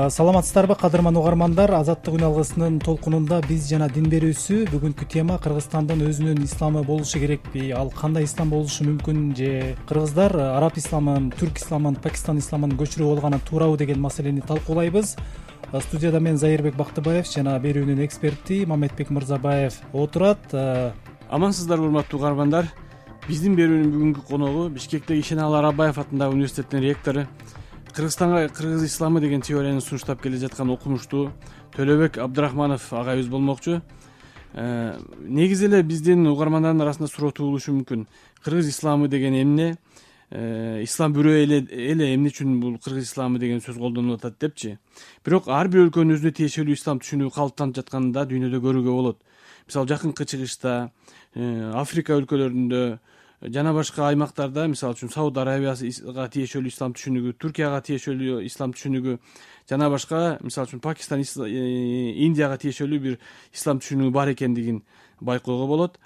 Саламатсыздарбы кадырман угармандар, Азаттык үн алгысынын толкунунда биз жана дин берүүсү. Бүгүнкү тема Кыргызстандын өзүнүн исламы болушу керекпи, ал кандай ислам болушу мүмкүн, же кыргыздар араб исламын, түрк исламын, Пакистан исламын көчүрүп алганы туурабы деген маселени талкуулайбыз. Студияда мен Зайырбек Бактыбаев жана берүүнүн эксперти Мамедбек Мырзабаев отурат. Амансыздарбы урматтуу угармандар. Биздин берүүнүн бүгүнкү коногу Бишкектеги Ишеналы Арабаев атындагы университеттин ректору, Кыргызстанга кыргыз исламы деген теорияны сунуштап келе жаткан окумуштуу Төлөбек Абдрахманов агайыбыз болмокчу. Негизи эле биздин угармандардын арасында суроо туулушу мүмкүн. Кыргыз исламы деген эмне? Ислам бирөө эле эмне үчүн бул кыргыз исламы деген сөз колдонулуп атат депчи. Бирок ар бир өлкөнүн өзүнө тиешелүү ислам түшүнүгү калыптанып жатканын да дүйнөдө көрүүгө болот. Мисалы Жакынкы Чыгышта, Африка өлкөлөрүндө жана башка аймактарда, мисалы үчүн Сауд Арабияга тиешелүү ислам түшүнүгү, Түркияга тиешелүү ислам түшүнүгү, жана башка, мисалы үчүн Пакистан, Индияга тиешелүү бир ислам түшүнүгү бар экендигин байкоого болот.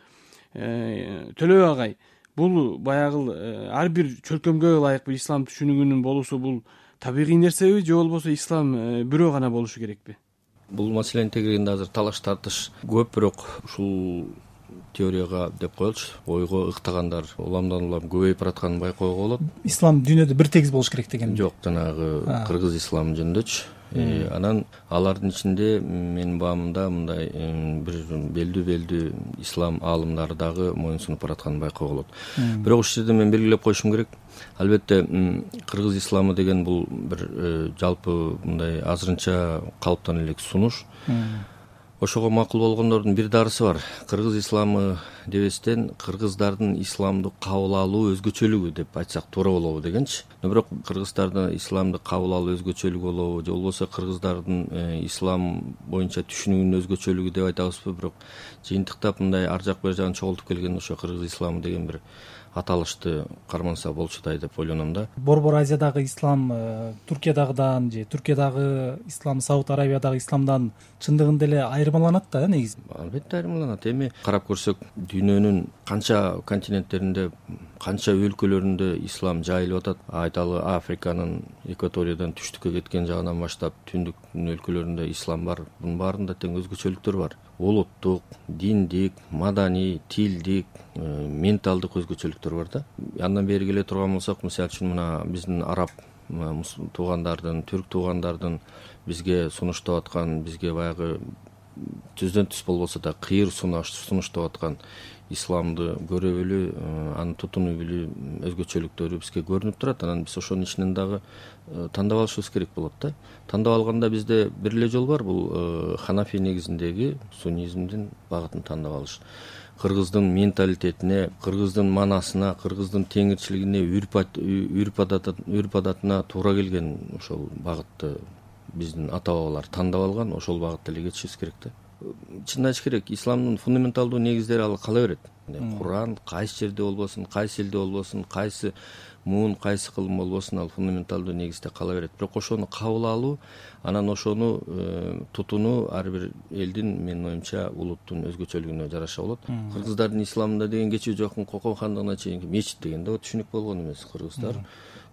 Төлөбек агай, бул баягы ар бир чөлкөмгө ылайык бир ислам түшүнүгүнүн болуусу бул табигый нерсеби, же болбосо ислам бирөө гана болушу керекпи? Бул маселенин тегерегинде азыр талаш тартыш көп, бирок ушул теорияга деп коелучу, ойго ыктагандар уламдан улам көбөйүп баратканын байкоого болот. Ислам дүйнөдө бир тегиз болуш керек деген? Жок, жанагы кыргыз исламы жөнүндөчү. Анан алардын ичинде менин баамымда мындай бир белдүү ислам аалымдары дагы моюнсунуп баратканын байкоого болот. Бирок ушул жерде мен белгилеп коюшум керек. Албетте кыргыз исламы деген бул бир жалпы мындай азырынча калыптан элек сунуш. Ошого макул болгондордун бир дарысы бар. Кыргыз исламы дебестен кыргыздардын исламды кабыл алуу өзгөчөлүгү деп айтсак туура болобу дегенчи. Бирок кыргыздардын исламды кабыл алуу өзгөчөлүгү болобу, же болбосо кыргыздардын ислам боюнча түшүнүгүнүн өзгөчөлүгү деп айтабызбы, бирок жыйынтыктап мындай ар жак бер жагын чогултуп келген ошо кыргыз исламы деген бир аталышты карманса болчудай деп ойлоном да. Борбор Азиядагы ислам Туркиядагыдан же Туркиядагы ислам Сауд Арабиядагы исламдан чындыгында эле айырмаланат да негизи. Албетте айырмаланат. Эми карап көрсөк, дүйнөнүн канча континенттеринде, канча өлкөлөрүндө ислам жайылып атат. Айталы Африканын экваториядан түштүккө кеткен жагынан баштап түндүктүн өлкөлөрүндө ислам бар. Бунун баарында тең өзгөчөлүктөр бар. Улуттук, диндик, маданий, тилдик, менталдык өзгөчөлүктөр бар да. Андан бери келе турган болсок, мисалы үчүн мына биздин араб туугандардын, түрк туугандардын бизге сунуштап аткан, бизге баягы түздөн түз болбосо да кыйыр сунуштап аткан исламды көрө билүү, аны тутунуу билүү өзгөчөлүктөрү бизге көрүнүп турат. Анан биз ошонун ичинен дагы тандап алышыбыз керек болот да. Тандап алганда бизде бир эле жол бар, бул Ханафи негизиндеги суннизмдин багытын тандап алыш. Кыргыздын менталитетине, кыргыздын манасына, кыргыздын теңирчилигине, үрп адатына туура келген ошол багытты биздин ата бабалар тандап алган, ошол багытта эле кетишибиз керек да. Чынын айтыш керек, исламдын фундаменталдуу негиздери ал кала берет. Куран кайсы жерде болбосун, кайсы элде болбосун, кайсы муун, кайсы кылым болбосун, ал фундаменталдуу негизде кала берет. Бирок ошону кабыл алуу, анан ошону тутунуу ар бир элдин, менин оюмча, улуттун өзгөчөлүгүнө жараша болот. Кыргыздардын исламында деген кечээ жакын Кокон хандыгына чейинки мечит деген да түшүнүк болгон эмес. Кыргыздар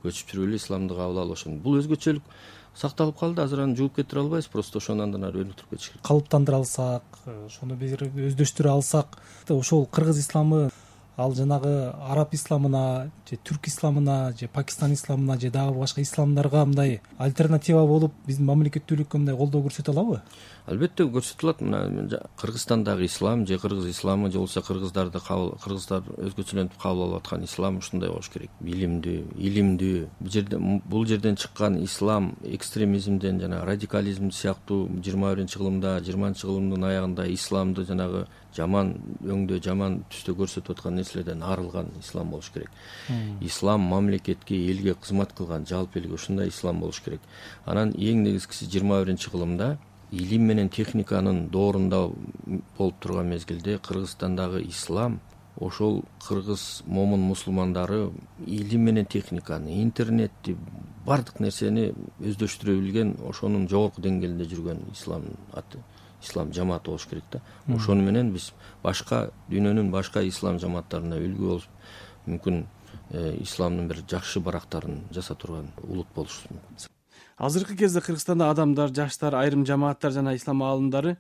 көчүп жүрүп эле исламды кабыл алып ошону. Бул өзгөчөлүк сакталып калды, азыр аны жууп кетире албайбыз, просто ошону андан ары өнүктүрүп кетиш керек. Калыптандыра алсак, ошону бир өздөштүрө алсак, ошол кыргыз исламы ал жанагы араб исламына, же түрк исламына, же Пакистан исламына, же дагы башка исламдарга мындай альтернатива болуп биздин мамлекеттүүлүккө мындай колдоо көрсөтө алабы? Албетте көрсөтө алат. Мына Кыргызстандагы ислам же кыргыз исламы, же болбосо кыргыздар өзгөчөлөнтүп кабыл алып аткан ислам ушундай болуш керек. Билимдүү, илимдүү. Бул жерден чыккан ислам экстремизмден жана радикализм сыяктуу 21-кылымда, 20-кылымдын аягында исламды жанагы жаман өңдө, жаман түстө көрсөтүп аткан нерселерден арылган ислам болуш керек. Ислам мамлекетке, элге кызмат кылган жалпы элге ушундай ислам болуш керек. Анан эң негизгиси 21-кылымда илим менен техниканын доорунда болуп турган мезгилде Кыргызстандагы ислам, ошол кыргыз момун мусулмандары илим менен техниканы, интернетти, бардык нерсени өздөштүрө билген, ошонун жогорку деңгээлинде жүргөн ислам жамааты болуш керек да. Ошону менен биз башка дүйнөнүн башка ислам жамааттарына үлгү болуп, мүмкүн исламдын бир жакшы барактарын жаса турган улут болушубуз мүмкүн. азыркы кезде Кыргызстанда адамдар, жаштар, айрым жамааттар жана ислам аалымдары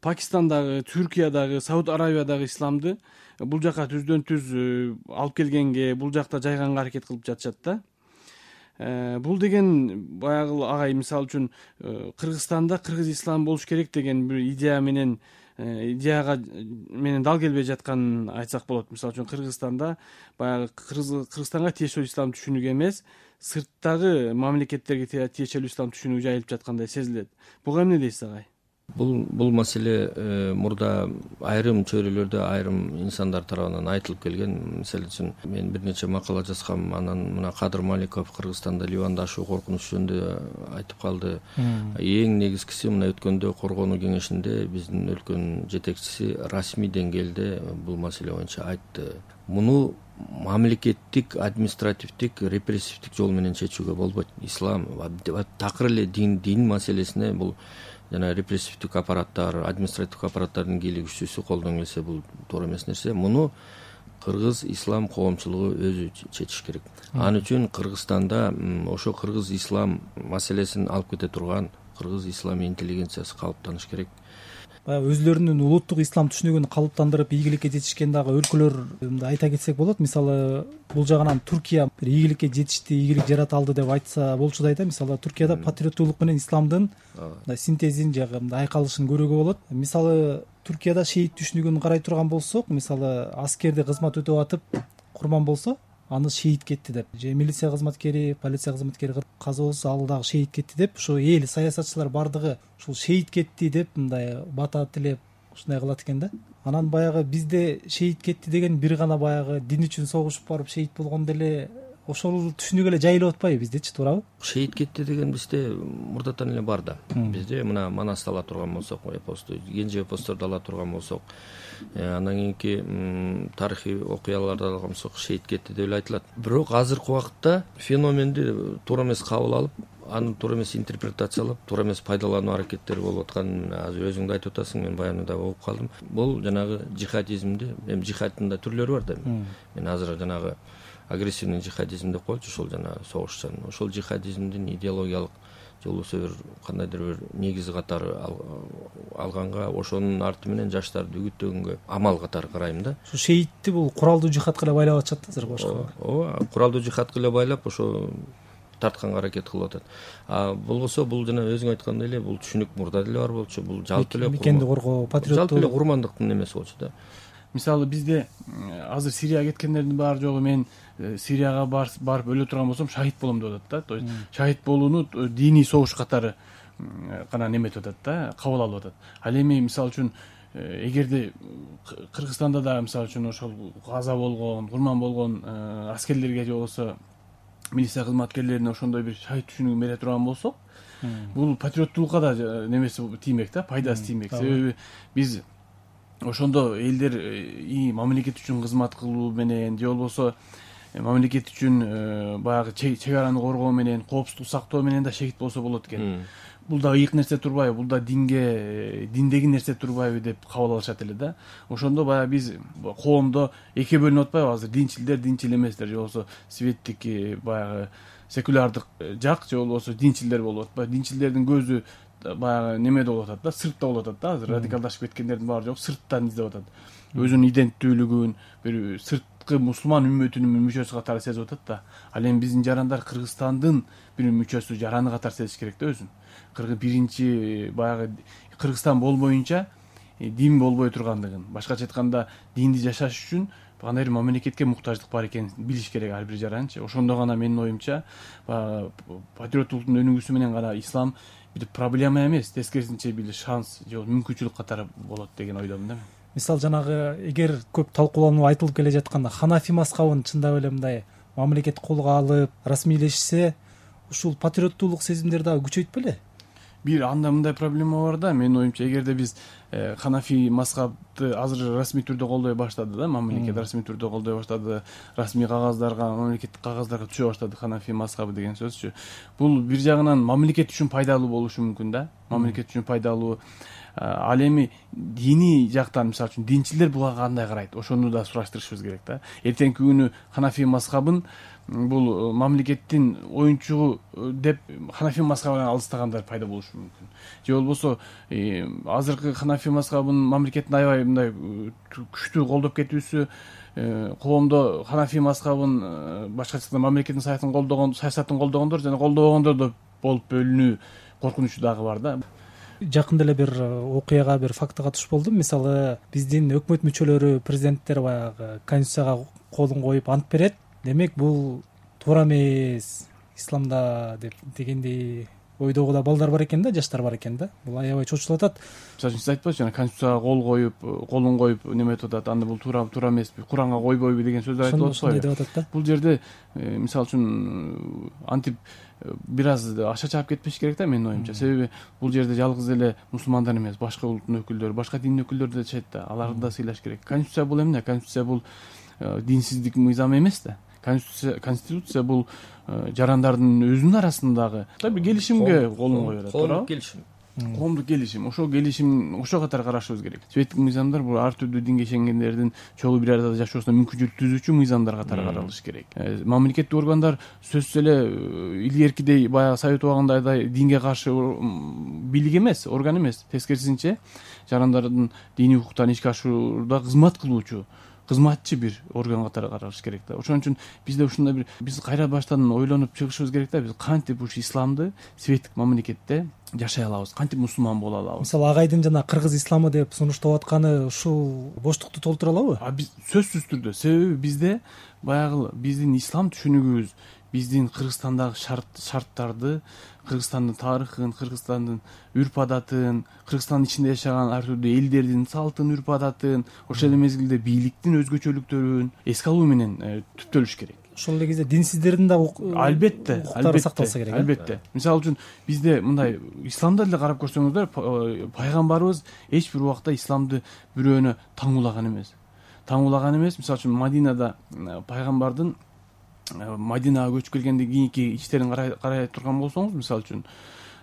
Пакистандагы, Түркиядагы, Сауд Аравиядагы исламды бул жака түздөн түз алып келгенге, бул жакта жайганга аракет кылып жатышат да. Бул деген баягы агай мисалы үчүн Кыргызстанда кыргыз ислам болуш керек деген бир идеяга менен дал келбей жатканын айтсак болот. Мисалы үчүн Кыргызстанда баягы Кыргызстанга тиешелүү ислам түшүнүгү эмес, сырттагы мамлекеттерге тиешелүү ислам түшүнүгү жайылып жаткандай сезилет. Буга эмне дейсиз агай? Бул маселе мурда айрым чөйрөлөрдө айрым инсандар тарабынан айтылып келген. Мисалы үчүн мен бир нече макала жазгам, анан мына Кадыр Маликов Кыргызстанда Ливанда ашуу коркунуч жөнүндө айтып калды. Эң негизгиси мына өткөндө Коргонуу кеңешинде биздин өлкөнүн жетекчиси расмий деңгээлде бул маселе боюнча айтты. Муну мамлекеттик, административдик, репрессивдик жол менен чечүүгө болбойт. Ислам такыр эле дин маселесине бул жана репрессивдик аппараттар, административдик аппараттардын кийлигүүчүсү колдон келсе бул туура эмес нерсе. Муну кыргыз ислам коомчулугу өзү чечиш керек. Ал үчүн Кыргызстанда ошо кыргыз ислам маселесин алып кете турган кыргыз ислам интеллигенциясы калыптаныш керек. Баягы өзлөрүнүн улуттук ислам түшүнүгүн калыптандырып ийгиликке жетишкен дагы өлкөлөр айта кетсек болот. Мисалы бул жагынан Түркия бир ийгиликке жетишти, ийгилик жарата алды деп айтса болчу да. Мисалы Түркияда патриоттуулук менен исламдын синтезин жагы айкалышын көрүүгө болот. Мисалы Түркияда шейит түшүнүгүн карай турган болсок, мисалы аскерде кызмат өтөп атып курман болсо, аны шейит кетти деп, же милиция кызматкери, полиция кызматкери каза болсо ал дагы шейит кетти деп, ошо эл саясатчылар бардыгы ушул шейит кетти деп мындай бата тилеп ушундай кылат экен да. Анан баягы бизде шейит кетти деген бир гана баягы дин үчүн согушуп барып шейит болгондо эле ошол түшүнүк эле жайылып атпайбы биздечи, туурабы? Шейит кетти деген бизде мурдатан эле бар да. Бизде мына Манасты ала турган болсок, эпосту, Генже эпосторду ала турган болсок, андан кийинки тарыхый окуяларды алган болсок шейит кетти деп эле айтылат. Бирок азыркы убакытта феноменди туура эмес кабыл алып, аны туура эмес интерпретациялап, туура эмес пайдалануу аракеттери болуп атканын азыр өзүң да айтып атасың, мен баянында угуп калдым. Бул жанагы жихадизмди, эми жихадтын да түрлөрү бар да. Мен азыр жанагы агрессивный жихадизм деп коелучу, ошол жана согушчан. Ошол жихадизмдин идеологиялык же болбосо бир кандайдыр бир негизи катары алганга, ошонун арты менен жаштарды үгүттөгөнгө амал катары карайм да. Ушу шейитти бул куралдуу жихадка эле байлап атышат да азыр башка. Ооба, куралдуу жихадка эле байлап ошо тартканга аракет кылып атат. Болбосо бул жана өзүң айткандай эле бул түшүнүк мурда деле бар болчу, бул жалпы эле мекенди коргоо, патриоттук, жалпы эле курмандыктын немеси болчу да. Мисалы бизде азыр Сирияга кеткендердин баары жогу мен Сирияга барып өлө турган болсом шахид болом деп атат да. То есть шахид болууну диний согуш катары гана неметип атат да, кабыл алып атат. Ал эми мисалы үчүн эгерде Кыргызстанда да мисалы үчүн ошол каза болгон, курман болгон аскерлерге же болбосо милиция кызматкерлерине ошондой бир шахид түшүнүгүн бере турган болсок, бул патриоттуулукка да немеси тиймек да, пайдасы тиймек. Себеби биз ошондо элдер мамлекет үчүн кызмат кылуу менен же болбосо мамлекет үчүн баягы чек араны коргоо менен, коопсуздук сактоо менен да шехит болсо болот экен. Бул да ыйык нерсе турбайбы, бул да диндеги нерсе турбайбы деп кабыл алышат эле да. Ошондо баягы биз коомдо экиге бөлүнүп атпайбы азыр, динчилдер, динчил эместер, же болбосо светтик баягы секулярдык жак, же болбосо динчилдер болуп атпайбы. Динчилдердин көзү баягы немеде болуп атат да, сыртта болуп атат да. Азыр радикалдашып кеткендердин баары жок, сырттан издеп атат. Өзүнүн иденттүүлүгүн бир сырткы мусулман үммөтүнүн мүчөсү катары сезип атат да. Ал эми биздин жарандар Кыргызстандын бир мүчөсү, жараны катары сезиш керек да өзүн. Биринчи баягы Кыргызстан болбоюнча дин болбой тургандыгын, башкача айтканда динди жашаш үчүн кандай бир мамлекетке муктаждык бар экенин билиш керек ар бир жаранчы. Ошондо гана менин оюмча патриоттуулуктун өнүгүүсү менен гана ислам бир проблема эмес, тескерисинче бир шанс же мүмкүнчүлүк катары болот деген ойдомун да мен. Мисалы жанагы эгер көп талкуулануу айтылып келе жатканда ханафи мазхабын чындап эле мындай мамлекет колго алып расмийлешсе, ушул патриоттуулук сезимдер дагы күчөйт беле? Бир анда мындай проблема бар да, менин оюмча, эгерде биз ханафи мазхаб мазхабты азыр расмий түрдө колдой баштады да, мамлекет расмий түрдө колдой баштады, расмий кагаздарга, мамлекеттик кагаздарга түшө баштады ханафи мазхабы деген сөзчү. Бул бир жагынан мамлекет үчүн пайдалуу болушу мүмкүн да, мамлекет үчүн пайдалуу. Ал эми диний жактан, мисалы үчүн динчилер буга кандай карайт, ошону да сураштырышыбыз керек да. Эртеңки күнү ханафи мазхабын бул мамлекеттин оюнчугу деп ханафи мазхабынан алыстагандар пайда болушу мүмкүн. Же болбосо азыркы ханафи мазхабын мамлекеттин аябай мындай күчтүү колдоп кетүүсү, коомдо ханафи мазхабын башкача айтканда мамлекеттин саясатын колдогондор жана колдобогондор да болуп бөлүнүү коркунучу дагы бар да. Жакында эле бир окуяга, бир фактыга туш болдум. Мисалы, биздин өкмөт мүчөлөрү, президенттер баягы конституцияга колун коюп ант берет. Демек, бул туура эмес исламда дегендей ойдогу да балдар бар экен да, жаштар бар экен да. Бул аябай чочулатат. Мисалы үчүн сиз айтпачы, жана конституцияга колун коюп неметип атат, анда бул туура эмеспи, Куранга койбойбу деген сөздөр айтылып атпайбы? Деп атат да. Бул жерде мисалы үчүн антип бир аз аша чаап кетпеш керек да, менин оюмча. Себеби бул жерде жалгыз эле мусулмандар эмес, башка улуттун өкүлдөрү, башка дин өкүлдөрү да жашайт да. Аларды да сыйлаш керек. Конституция бул эмне? Конституция бул динсиздик мыйзам эмес да. Конституция бул жарандардын өзүнүн арасындагы бир келишимге колун кое берет. Коомдук келишим. Коомдук келишим. Ошол келишим ошо катары карашыбыз керек. Светтик мыйзамдар бул ар түрдүү динге ишенгендердин чогуу бир арада жашоосуна мүмкүнчүлүк түзүүчү мыйзамдар катары каралышы керек. Мамлекеттик органдар сөзсүз эле илгеркидей баягы совет убагындагыдай динге каршы бийлик эмес, орган эмес. Тескерисинче жарандардын диний укуктарын ишке ашырууда кызмат кылуучу, кызматчы бир орган катары каралыш керек да. Ошон үчүн бизде ушундай бир биз кайра баштан ойлонуп чыгышыбыз керек да. Биз кантип ушу исламды светтик мамлекетте жашай алабыз, кантип мусулман боло алабыз. Мисалы, Агайдын жана кыргыз исламы деп сунуштап атканы ушул боштукту толтура алабы? Биз сөзсүз түрдө, себеби бизде баягы биздин ислам түшүнүгүбүз, биздин Кыргызстандагы шарттарды, Кыргызстандын тарыхын, Кыргызстандын үрп адатын, Кыргызстандын ичинде жашаган ар түрдүү элдердин салтын, үрп адатын, ошол эле мезгилде бийликтин өзгөчөлүктөрүн эске алуу менен түптөлүш керек. Ошол эле кезде динсиздердин да албетте сакталса керек. Албетте. Мисалы үчүн бизде мындай исламда деле карап көрсөңүздөр, пайгамбарыбыз эч бир убакта исламды бирөөнө таңуулаган эмес. Мисалы үчүн Мадинада пайгамбардын Мадинага көчүп келгенден кийинки иштерин карай турган болсоңуз, мисалы үчүн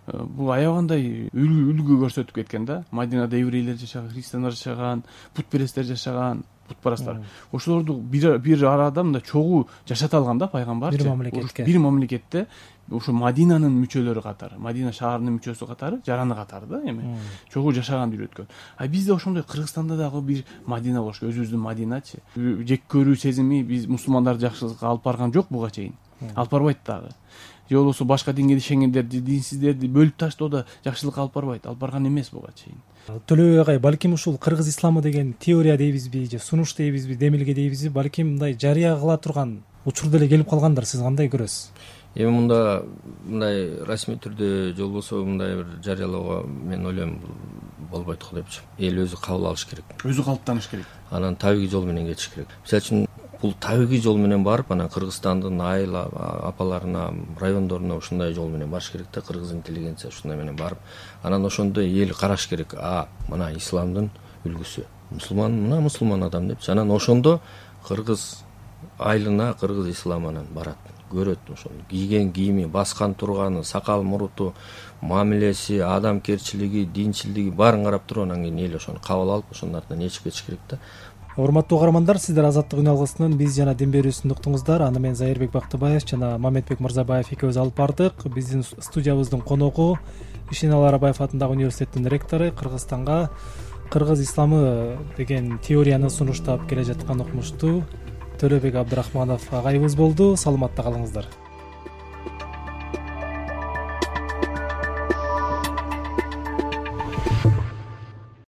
бул аябагандай үлгү көрсөтүп кеткен да. Мадинада еврейлер жашаган, христиандар жашаган, путпересттер жашаган, путпарастар. Ошолорду бир арада мындай чогуу жашата алган да пайгамбар. Бир мамлекетте ошо Мадинанын мүчөлөрү катары, Мадина шаарынын мүчөсү катары, жараны катары да эми чогуу жашаганды үйрөткөн. Бизде ошондой Кыргызстанда дагы бир Мадина болуш керек, өзүбүздүн Мадиначы. Жек көрүү сезими биз мусулмандарды жакшылыкка алып барган жок буга чейин. Алып барбайт дагы. Же болбосо башка динге ишенгендерди, динсиздерди бөлүп таштоо да жакшылыкка алып барбайт, алып барган эмес буга чейин. Төлөбек агай, балким ушул кыргыз исламы деген теория дейбизби же сунуш дейбизби, демилге дейбизби, балким мындай жарыя кыла турган учур деле келип калгандыр. Сиз кандай көрөсүз? Эми мындай расмий түрдө же болбосо мындай бир жарыялоого мен ойлойм болбойт го депчи. Эл өзү кабыл алыш керек. Өзү калыптаныш керек. Анан табигый жол менен кетиш керек. Мисалы үчүн бул табигый жол менен барып, анан Кыргызстандын айыл апаларына, райондоруна ушундай жол менен барыш керек да, кыргыз интеллигенция ушундай менен барып, анан ошондо эл караш керек. Мына исламдын үлгүсү, мына мусулман адам депчи. Анан ошондо кыргыз айылына кыргыз исламынан барат, көрөт ошону. Кийген кийими, баскан турганы, сакал муруту, мамилеси, адамкерчилиги, динчилдиги баарын карап туруп, анан кийин эл ошону кабыл алып, ошонун артынан ээрчип кетиш керек да. Урматтуу угармандар, сиздер Азаттык үн алгысынын биз жана дин берүүсүн уктуңуздар. Аны мен Зайырбек Бактыбаев жана Мамедбек Мырзабаев экөөбүз алып бардык. Биздин студиябыздын коногу Ишеналы Арабаев атындагы университеттин ректору, Кыргызстанга кыргыз исламы деген теорияны сунуштап келе жаткан окумуштуу Төлөбек Абдрахманов агайыбыз болду. Саламатта калыңыздар.